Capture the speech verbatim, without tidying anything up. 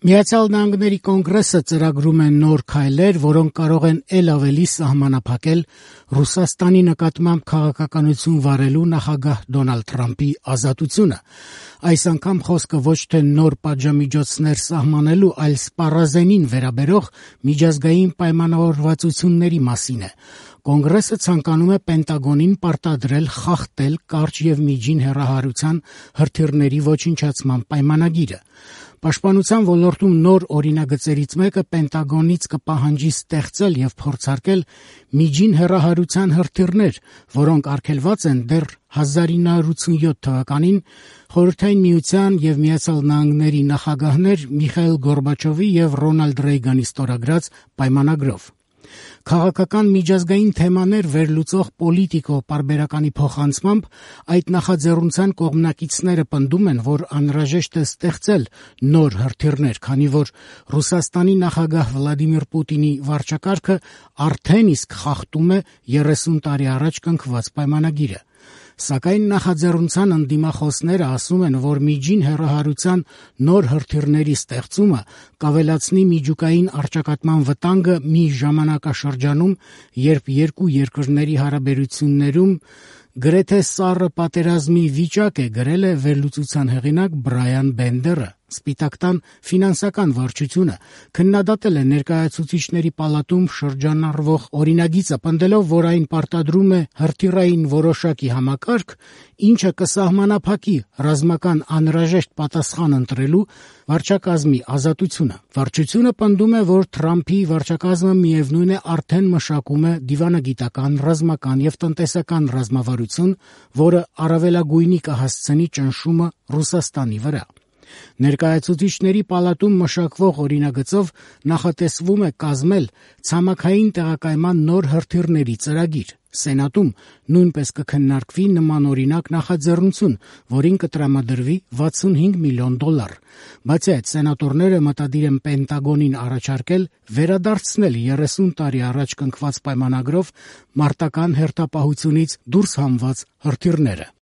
Միացյալ Նահանգների կոնգրեսը ծրագրում է նոր քայլեր, որոնք կարող են ել ավելի սահմանափակել Ռուսաստանի նկատմամբ քաղաքականություն վարելու նախագահ Դոնալդ Թրամփի ազատությունը։ Այս անգամ խոսքը ոչ թե նոր պատժամիջոցներ սահմանելու, այլ սպառազենին վերաբերող միջազգային պայմանավորվածությունների մասին է։ Կոնգրեսը ցանկանում է Պենտագոնին պարտադրել խախտել կարճ եւ միջին հեռահարության հրթիռների ոչնչացման պայմանագիրը։ Պաշտպանության ոլորտում նոր օրինագծերից մեկը Պենտագոնից կպահանջի ստեղծել եւ փորձարկել միջին հեռահարության հրթիռներ, որոնք արգելված են դեռ հազար ինը հարյուր ութսունյոթ թվականին Խորհրդային Միության եւ Միացյալ Նահանգների նախագահներ Միխայիլ Գորբաչովի եւ Ռոնալդ Ռեյգանի ստորագրած պայմանագրով։ Քաղաքական միջազգային թեմաներ վերլուծող Պոլիտիկո պարբերականի փոխանցմամբ այդ նախաձեռնության կողմնակիցները պնդում են, որ անհրաժեշտ է ստեղծել նոր հրթիռներ, քանի որ Ռուսաստանի նախագահ Վլադիմիր Պուտինի վարչակարգը արդեն իսկ խախտում է երեսուն տարի առաջ կնքված պայմանագիրը։ Սակայն նախաձեռնության ընդդիմախոսները ասում են, որ միջին հեռահարության նոր հրթիռների ստեղծումը կավելացնի միջուկային առճակատման վտանգը մի ժամանակաշրջանում, երբ երկու երկրների հարաբերություններում գրեթե սառը պատերազմի վիճակ է, գրել է վերլուծության հեղինակ Բրայան Բենդերը։ Սպիտակ տան ֆինանսական վարչությունը քննադատել է ներկայացուցիչների պալատում շրջանառվող օրինագիծը, պնդելով, որ այն պարտադրում է հրթիռային որոշակի համակարգ, ինչը կսահմանափակի ռազմական անհրաժեշտ պատասխան ընտրելու վարչակազմի ազատությունը։ Վարչությունը պնդում է, որ Թրամփի վարչակազմը միևնույն է արդեն մշակում է դիվանագիտական, ռազմական եւ տնտեսական ռազմավարություն, որը առավելագույնի կհասցնի ճնշումը Ռուսաստանի վրա։ Ներկայացուցիչների պալատում մշակվող օրինագծով նախատեսվում է կազմել ցամաքային տեղակայման նոր հրթիռների ծրագիր։ Սենատում նույնպես կքննարկվի նմանօրինակ նախաձեռնություն, որին կտրամադրվի վաթսունհինգ միլիոն դոլար։ Բացի այդ, սենատորները մտադիր են Պենտագոնին առաջարկել վերադարձնել երեսուն տարի առաջ կնքված պայմանագրով մարտական հերթապահությունից դուրս հանված հրթիռները։